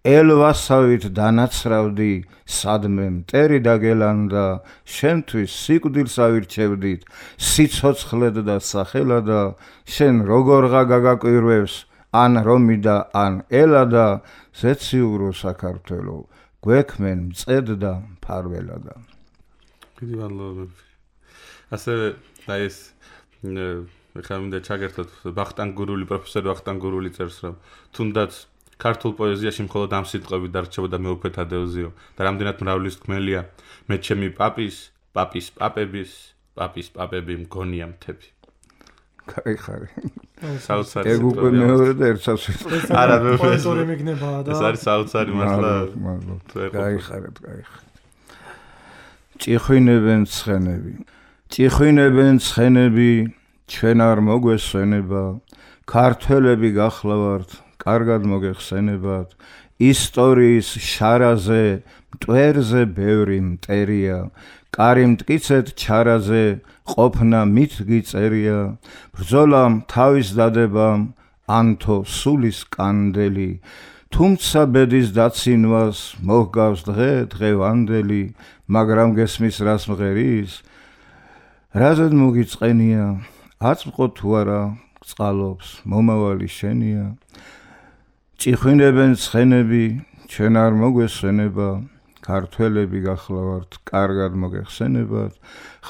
ელვასავით დანაცრავდი, სადმე მტერი დაგელანდა, შენთვის სიკვდილს ავირჩევდით, სიცოცხლედ და სახელადა, შენ როგორღა გაგაკვირვებს, ან რომიდა, ან ელადა, ზეციურო საქართველო, გვექმენ მწედ და მფარველადა. დიდი მადლობა. ასევე აი ეს ხა მინდა ჩაგერთოთ ვახტანგ გურული პროფესორი ვახტანგ გურული წერს რომ თუნდაც ქართულ პოეზიაში მხოლოდ ამ სიტყვები დარჩებოდა მეუფე თადეოზიო და რამდენად მრავლის თქმელია მე ჩემი პაპის პაპის პაპების პაპის პაპები მგონია მთები. კაიხარი. საოცარი. ეგ უკვე მეორე და ერთსაც არა მე პოეტური მიგნებაა და ეს არის საოცარი მართლა. კაიხარეთ, კაიხარეთ. ჭიხვინებენ ცხენები. ჭიხვინებენ ცხენები, ჩვენ არ მოგვესვენება, ქართველები გახლავართ, კარგად მოგეხსენებათ, ისტორიის შარაზე, მტვერზე ბევრი მტერია, კარი მტკიცეთ ჩარაზე, ყოფნა მით გიწერია, ბრძოლამ თავის დადებამ, ანთო სულის კანდელი, თუმცა ბედის დაცინვას მოჰგავს დღე დღევანდელი, მაგრამ გესმის რას მღერის, რაზედ მოგიწყენია, აწმყო თუ არა წყალობს, მომავალი შენია. ჭიხვინებენ ცხენები, ჩვენ არ მოგვესვენება, ქართველები გახლავართ, კარგად მოგეხსენებათ,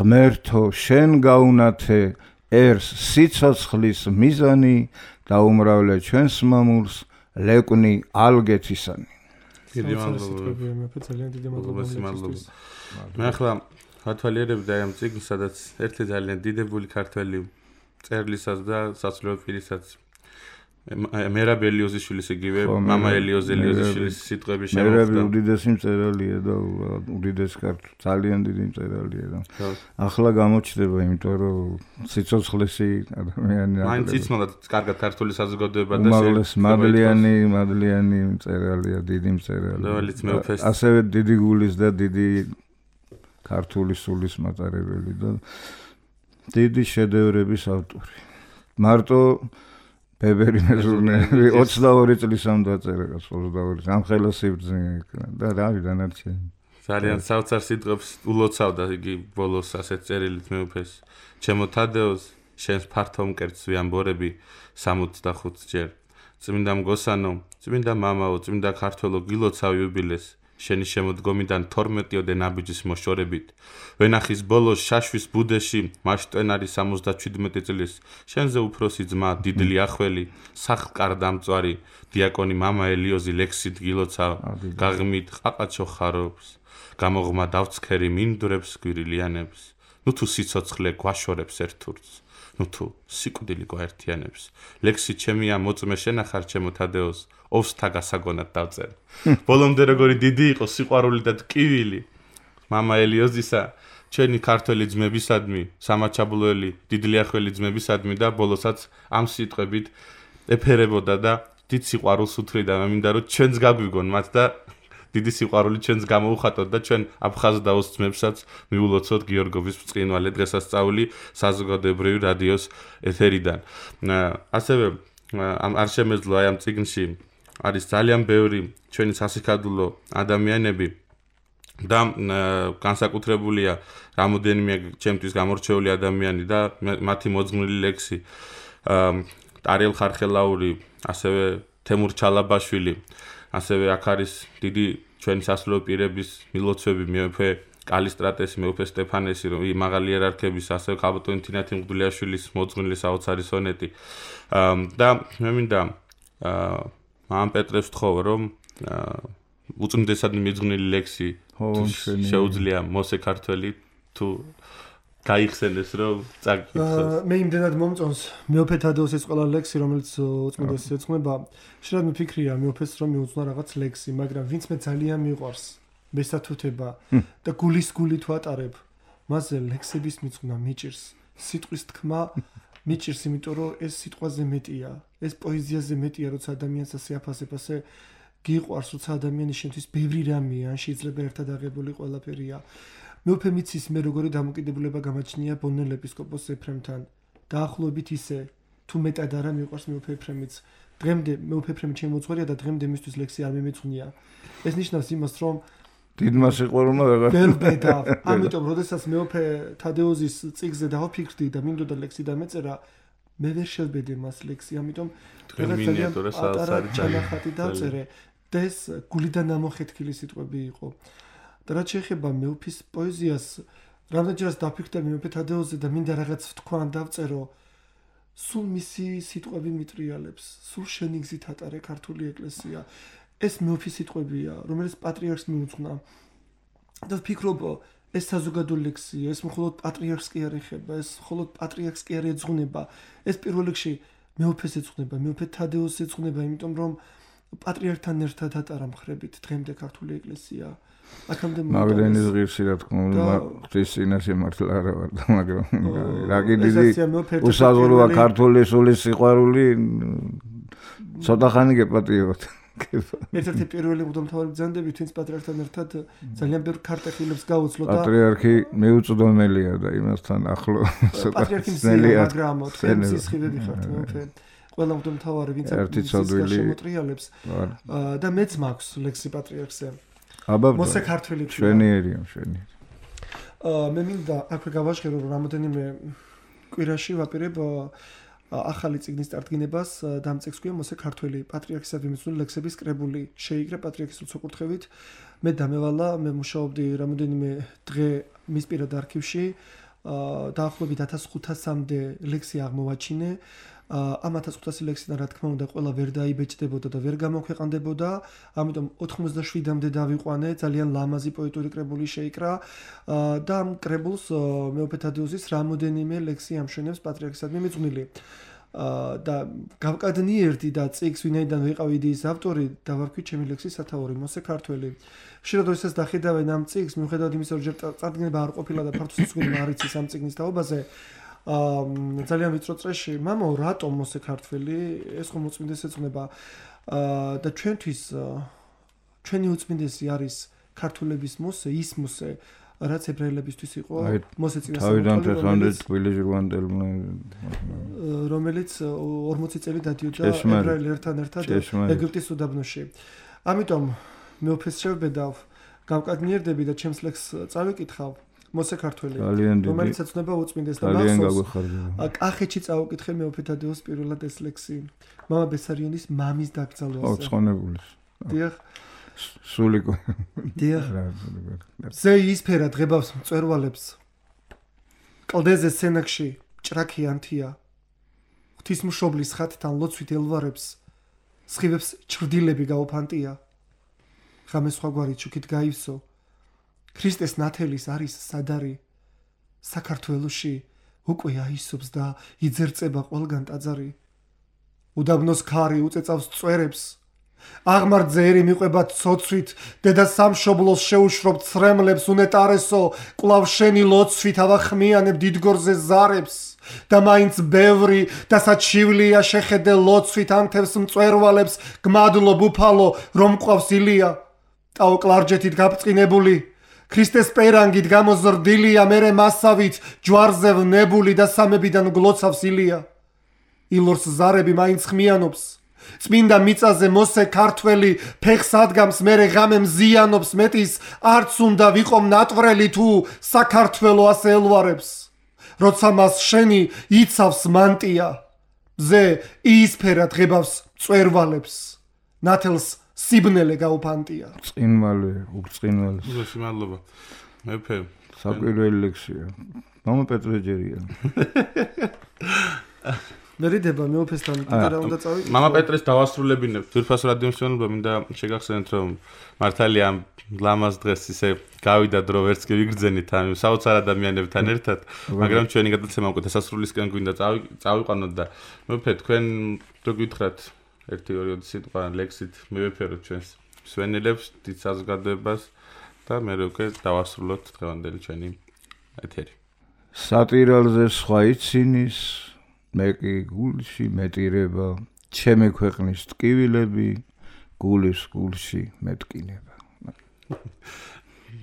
ღმერთო შენ გაუნათე ერს სიცოცხლის მიზანი, დაუმრავლე ჩვენს მამულს, ლეკვნი ალგეთისანი. დიდი მადლობა. მე ახლა ვათვალიერებდი აი ამ წიგნს, სადაც ერთი ძალიან დიდებული ქართველი წერლისას და სასულიერო პირისაც მერაბ ელიოზიშვილის იგივე მამა ელიოზ ელიოზიშვილის სიტყვები შემოხდა. მერაბი უდიდესი მწერალია და უდიდესი ქართული ძალიან დიდი მწერალია და ახლა გამოჩნდება, იმიტომ რომ სიცოცხლესი ადამიანი მაინც იცნობდა კარგად ქართული საზოგადოება და მადლიანი მადლიანი მწერალია, დიდი მწერალი. ასევე დიდი გულის და დიდი ქართული სულის მატარებელი და დიდი შედევრების ავტორი. მარტო ბებერი მეზურნეები ოცდაორი წლისამ დაწერა, ოცდაორი ამ ხელა სიბრძნე იქნა და რავი დანარჩენი. ძალიან საოცარ სიტყვებს ულოცავდა იგი ბოლოს ასეთ წერილით მეუფეს. ჩემო თადეოს, შენს ფართო მკერდს ვიამბორები სამოცდახუთ ჯერ. წმინდა მგოსანო, წმინდა მამაო, წმინდა ქართველო, გილოცავ იუბილეს. შენი შემოდგომიდან თორმეტიოდე ნაბიჯის მოშორებით. ვენახის ბოლოს შაშვის ბუდეში, მაშტვენარი სამოცდაშვიდმეტი წლის, შენზე უფროსი ძმა, დიდლი ახველი, სახლკარდამწვარი, დიაკონი მამა ელიოზი ლექსით გილოცავ, გაღმით ყაყაჩო ხარობს, გამოღმა დავცქერი მინდვრებს გვირილიანებს, ნუ თუ სიცოცხლე გვაშორებს ერთურს, ნუ თუ სიკვდილი გვაერთიანებს, ლექსი ჩემია მოწმე შენახარ ჩემო თადეოს, ოვსთა გასაგონად დავწერ. ბოლომდე როგორი დიდი იყო სიყვარული და ტკივილი მამა ელიოზისა, ჩვენი ქართველი ძმებისადმი, სამაჩაბლოელი, დიდლიახველი ძმებისადმი და ბოლოსაც ამ სიტყვებით ეფერებოდა და დიდ სიყვარულს უთხრიდა. მე მინდა რომ ჩვენს გაგვიგონ მათ და დიდი სიყვარული ჩვენს გამოუხატოთ და ჩვენ აფხაზდაოს ძმებსაც მიულოცოთ გიორგოვის ბრწყინვალე დღესასწაული საზოგადოებრივი რადიოს ეთერიდან. ასევე არ შემეძლო აი ამ წიგნში არის ძალიან ბევრი ჩვენი სასიკადულო ადამიანები და განსაკუთრებულია რამოდენიმე ჩემთვის გამორჩეული ადამიანი და მათი მოძღვნილი ლექსი ტარიელ ხარხელაური, ასევე თემურ ჩალაბაშვილი, ასევე აქ არის დიდი ჩვენი სასულიერო პირების მილოცვები, მეუფე კალისტრატესი, მეუფე სტეფანესი, მაღალი იერარქების, ასევე ქალბატონი თინათი მღვდლიაშვილის მოძღვნილი საოცარი სონეტი და მე მინდა მამ პეტრეს ვთხოვ, რომ უწმიდესად მიძღვნილი ლექსი შეუძლია მოსე ქართველი თუ გაიხსენეს რომ წაკითხოს. მე იმდენად მომწონს მეოფე თადეუსის ყველა ლექსი, რომელიც უწმიდესი ეძღვნება. შეიძლება მიფიქრია მეოფეს რომ მიუძღვნა რაღაც ლექსი, მაგრამ ვინც მე ძალიან მიყვარს მესათუთება და გულის გულით ვატარებ, მასზე ლექსების მიწვნა მიჭირს. სიტყვის თქმა მიჭირს, იმიტომ რომ ეს სიტყვაზე მეტია, ეს პოეზიაზე მეტია, როცა ადამიანს ასე აფასებ, ასე გიყვარს, როცა ადამიანის შენთვის ბევრი რამეა, ან შეიძლება ერთად აღებული ყველაფერია. მეუფე მიცის მე როგორი დამოკიდებულება გამაჩნია ბონელ ეპისკოპოს ეფრემთან. დაახლოებით ისე, თუ მეტად არა მიყვარს მეუფე ეფრემიც. დღემდე მეუფე ეფრემი ჩემი მოძღვარია და დღემდე მისთვის ლექსი არ მიმეწვნია. ეს ნიშნავს იმას, რომ დიდმა სიყვარულმა ვეღარ ვერ ბედა. ამიტომ, როდესაც მეუფე თადეოზის წიგნზე დავფიქრდი და მინდოდა ლექსი დამეწერა, მე ვერ შევბედე მას ლექსი, ამიტომ დღეს მინიატურა საალსარი ჩანახატი დავწერე. და ეს გულიდან ამოხეთქილი სიტყვები იყო. და რაც შეეხება მეუფის პოეზიას, რამდენჯერაც დაფიქრდა მეუფე თადეოზე და მინდა რაღაც ვთქვან დავწერო, სულ მისი სიტყვები მიტრიალებს, სულ შენი გზით ატარე ქართული ეკლესია. ეს მეუფის სიტყვებია, რომელიც პატრიარქს მიუძღვნა. და ვფიქრობ, ეს საზოგადო ლექსია, ეს მხოლოდ პატრიარქს კი არ ეხება, ეს მხოლოდ პატრიარქს კი არ ეძღვნება. ეს პირველ რიგში მეუფეს ეძღვნება, მეუფე თადეოს ეძღვნება, იმიტომ რომ პატრიარქთან ერთად ატარა მხრებით დღემდე ქართული ეკლესია. აქამდე მაგდენის ღირსი რა თქმა უნდა, ღვთის წინაშე მართლა არა ვარ და მაგრამ რა კი დიდი უსაზღვროა ქართული სულის სიყვარული ცოტა ხანი გეპატიებოთ. ერთ-ერთი პირველი მღვდელმთავარი ბრძანდებით, ვინც პატრიარქთან ერთად ძალიან ბევრ ქარტეხილებს გაუძლო და პატრიარქი მეუწვდომელია და იმასთან ახლო პატრიარქი მზეა, მაგრამ თქვენ სისხლები ხართ მეუფე. ყველა მღვდელმთავარი ვინც შემოტრიალებს და მეც მაქვს ლექსი პატრიარქზე. აბა მოსე ქართველი შვენიერია, შვენიერი. აა მე მინდა აქვე გავაჟღერო რომ რამოდენიმე კვირაში ვაპირებ ახალი წიგნის წარდგინებას და ამ წიგნს ქვია მოსე ქართველი პატრიარქისადმი მიცნული ლექსების კრებული. შეიგრა პატრიარქის უცხოკურთხევით. მე დამევალა, მე მუშაობდი რამოდენიმე დღე მის პირად არქივში. აა დაახლოებით ათას ხუთასამდე ლექსი აღმოვაჩინე. ამ ათას ხუთასი ლექსიდან რა თქმა უნდა ყველა ვერ დაიბეჭდებოდა და ვერ გამოქვეყნდებოდა, ამიტომ ოთხმოცდაშვიდამდე დავიყვანე, ძალიან ლამაზი პოეტური კრებული შეიკრა და ამ კრებულს მეუფე თადეოზის რამოდენიმე ლექსი ამშვენებს პატრიარქისადმი მიძღვნილი. და გავკადნიერდი და წიგს ვინაიდან ვიყავი იდეის ავტორი, დავარქვი ჩემი ლექსის სათაური მოსე ქართველი. ხშირად როდესაც დახედავენ ამ წიგს, მიუხედავად იმისა, რომ ჯერ წარდგენება არ ყოფილა და ფართო სიცოცხლე არ იცის ამ წიგნის თაობაზე, აა ძალიან ვიწრო წრეში, მამო, რატომ მოსე ქართველი? ეს ხომ უწმინდეს ეძღვნება. აა და ჩვენთვის ჩვენი უწმინდესი არის ქართულების მოსე, ის მოსე, რაც ებრაელებისთვის იყო მოსე წინასწარ. თავიდან დღემდე თბილისში ვანდელმა რომელიც ორმოცი წელი დადიოდა ებრაელებთან ერთად ეგვიპტის უდაბნოში. ამიტომ მეუფეს შევბედავ, გავკადნიერდები და ჩემს ლექსს წავიკითხავ. მოსე ქართველი, რომელიც ეცნობა უწმინდეს და მახსოვს. კახეთში წავიკითხე მეუფე თადეოს პირველად ეს ლექსი. მამა ბესარიონის მამის დაკრძალვაზე. ო, ცხონებულის. დიახ. სულიკო. დიახ. ზე ისფერა დღებავს მწვერვალებს. კლდეზე სენაკში ჭრაქი ანთია. ღვთისმშობლის ხატთან ლოცვით ელვარებს. სხივებს ჩრდილები გაუფანტია. ღამე სხვაგვარი ჩუქით გაივსო. ქრისტეს ნათელის არის სადარი. საქართველოში უკვე აისობს და იძერწება ყველგან ტაძარი. უდაბნოს ქარი უწეწავს წვერებს. აღმართზე ერი მიყვება ცოცვით, დედა სამშობლოს შეუშრობ ცრემლებს უნეტარესო, კვლავ შენი ლოცვით ავახმიანებ დიდგორზე ზარებს. და მაინც ბევრი და საჩივლია შეხედე ლოცვით ანთებს მწვერვალებს, გმადლობ უფალო, რომ მყავს ილია. ტაო კლარჯეთით გაბწყინებული, ქრისტეს პერანგით გამოზრდილია, მერე მასავით ჯვარზე ვნებული და სამებიდან გლოცავს ილია. ილორს ზარები მაინც ხმიანობს. წმინდა მიწაზე მოსე ქართველი ფეხს ადგამს, მერე ღამე მზიანობს, მეტის არც უნდა ვიყო მნატვრელი თუ საქართველო ასე ელვარებს. როცა მას შენი იცავს მანტია, მზე იისფერა დღებავს მწვერვალებს, ნათელს სიბნელე გაუფანტია. წინმალე, უბრწყინვალე. უზესი მადლობა. მეფე, საკვირველი ლექსია. მამა პეტრეჯერია. მერიდება მეუფესთან კიდე რა უნდა წავიდეთ. მამა პეტრეს დავასრულებინებ. ძვირფასო რადიომსმენელობა მინდა შეგახსენეთ რომ მართალია ამ ლამაზ დღეს ისე გავიდა დრო ვერც კი ვიგრძენით ამ საოცარ ადამიანებთან ერთად, მაგრამ ჩვენი გადაცემა უკვე დასასრულისკენ გვინდა წავიყვანოთ და მეუფე თქვენ რო გითხრათ ერთი ორი სიტყვა ლექსით მივეფეროთ ჩვენს მსმენელებს დიდ საზოგადოებას და მე უკვე დავასრულოთ დღევანდელი ჩვენი ეთერი. სატირალზე სხვა იცინის მე კი გულში მეტირება, ჩემი ქვეყნის ტკივილები, გულის გულში მეტკინება.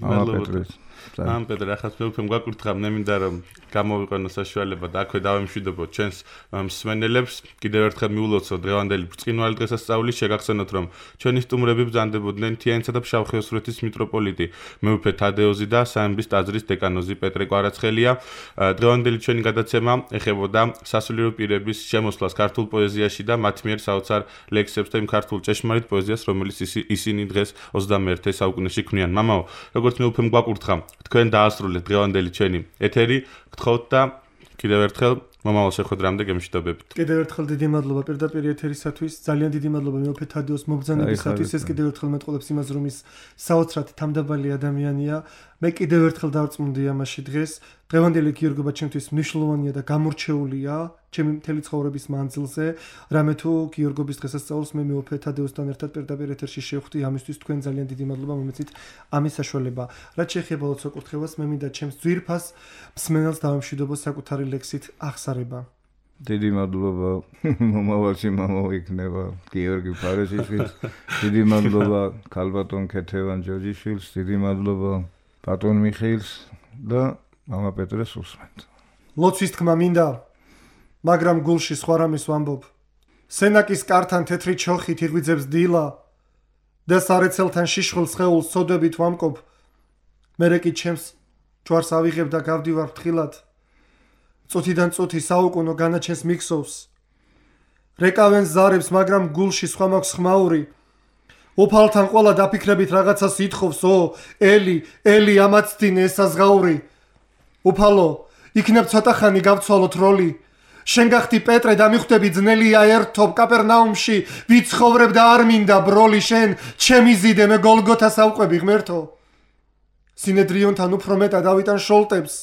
მამა პეტრეს. მამა პეტრე, ახაც მე უკვე მგვაკურთხა, მე მინდა რომ გამოვიყენო საშუალება და აქვე დავემშვიდობო ჩვენს მსმენელებს. კიდევ ერთხელ მიულოცო დღევანდელი ბრწყინვალე დღესასწაულის შეგახსენოთ რომ ჩვენი სტუმრები ბრძანდებოდნენ თიანეთსა და ფშავ-ხევსურეთის მიტროპოლიტი მეუფე თადეოზი და სამების ტაძრის დეკანოზი პეტრე კვარაცხელია. დღევანდელი ჩვენი გადაცემა ეხებოდა სასულიერო პირების შემოსვლას ქართულ პოეზიაში და მათ მიერ საოცარ ლექსებს და იმ ქართულ ჭეშმარიტ პოეზიას, რომელიც ისინი დღეს ოცდამეერთე საუკუნეში ქმნიან. მამაო, როგორც მეუფემ გვაკურთხა, თქვენ დაასრულეთ დღევანდელი ჩვენი ეთერი. გთხოვთ და კიდევ ერთხელ მომავალ შეხვედრამდე გემშვიდობებით. კიდევ ერთხელ დიდი მადლობა პირდაპირ ეთერისათვის. ძალიან დიდი მადლობა მეუფე თადეოს მობრძანებისათვის. ეს კიდევ ერთხელ მეტყოლებს იმას, რომ ის საოცრად თამდაბალი ადამიანია. მე კიდევ ერთხელ დავწმუნდი ამაში დღეს. დღევანდელი გიორგობა ჩემთვის მნიშვნელოვანია და გამორჩეულია ჩემი მთელი ცხოვრების მანძილზე. რამე თუ გიორგობის დღესასწაულს მე მეუფე თადეოსთან ერთად პირდაპირ ეთერში შევხვდი, ამისთვის თქვენ ძალიან დიდი მადლობა მომეცით ამის საშუალება. რაც შეეხება ლოცვა კურთხევას, მე მინდა ჩემს ძვირფას მსმენელს დავემშვიდობო საკუთარი ლექსით აღსარება. დიდი მადლობა მომავალში მამაო იქნება გიორგი ფარესიშვილს. დიდი მადლობა ქალბატონ ქეთევან ჯოჯიშვილს. დიდი მადლობა ბატონ მიხეილს და მამა პეტრეს უსმენთ. ლოცვის თქმა მინდა, მაგრამ გულში სხვა რამეს ვამბობ. სენაკის კართან თეთრი ჩოხით იღვიძებს დილა და სარეცელთან შიშხულ სხეულს სოდებით ვამკობ. მერე კი ჩემს ჯვარს ავიღებ და გავდივარ ფრთხილად. წუთიდან წუთი საუკუნო განაჩენს მიქსოვს. რეკავენ ზარებს, მაგრამ გულში სხვა მაქვს ხმაური. უფალთან ყოლა დაფიქრებით რაღაცას ითხოვს, ო, ელი, ელი ამაცდინე ესაზღაური. უფალო, იქნებ ცოტა ხანი გავცვალოთ როლი. შენ გახდი პეტრე და მიხვდები ძნელია ერთობ კაპერნაუმში, ვიცხოვრებ და არ მინდა ბროლი შენ, ჩემი ზიდე მე გოლგოთას ავყვები ღმერთო. სინედრიონთან უფრო მეტად ავიტან შოლტებს.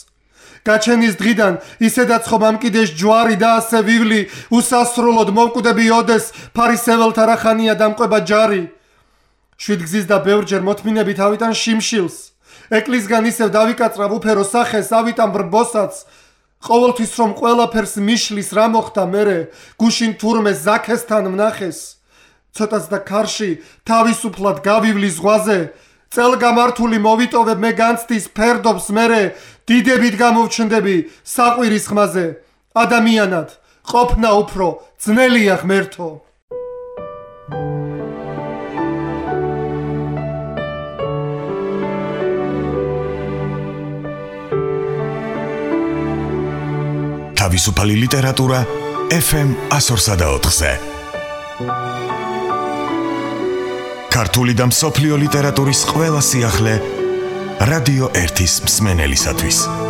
გაჩენის დღიდან ისედაც ხომ ამ კიდეშ ჯვარი და ასე ვივლი, უსასრულოდ მოვკვდები ოდეს, ფარისეველთა რახანია დამყვება ჯარი. შვიდგზის და ბევრჯერ მოთმინებით ავიტან შიმშილს. ეკლისგან ისევ დავიკაწრავ უფერო სახეს, ავიტან ბრბოსაც. ყოველთვის რომ ყველაფერს მიშლის რა მოხდა მერე, გუშინ თურმე ზაქესთან ვნახეს. ცოტაც და ქარში თავისუფლად გავივლი ზღვაზე. წელგამართული მოვიტოვებ მე განცდის ფერდობს მერე, დიდებით გამოვჩნდები საყვირის ხმაზე. ადამიანად ყოფნა უფრო ძნელია ღმერთო. თავისუფალი ლიტერატურა ეფ ემ one oh four ზე. ქართული და მსოფლიო ლიტერატურის ყველა სიახლე რადიო ერთის მსმენელისათვის.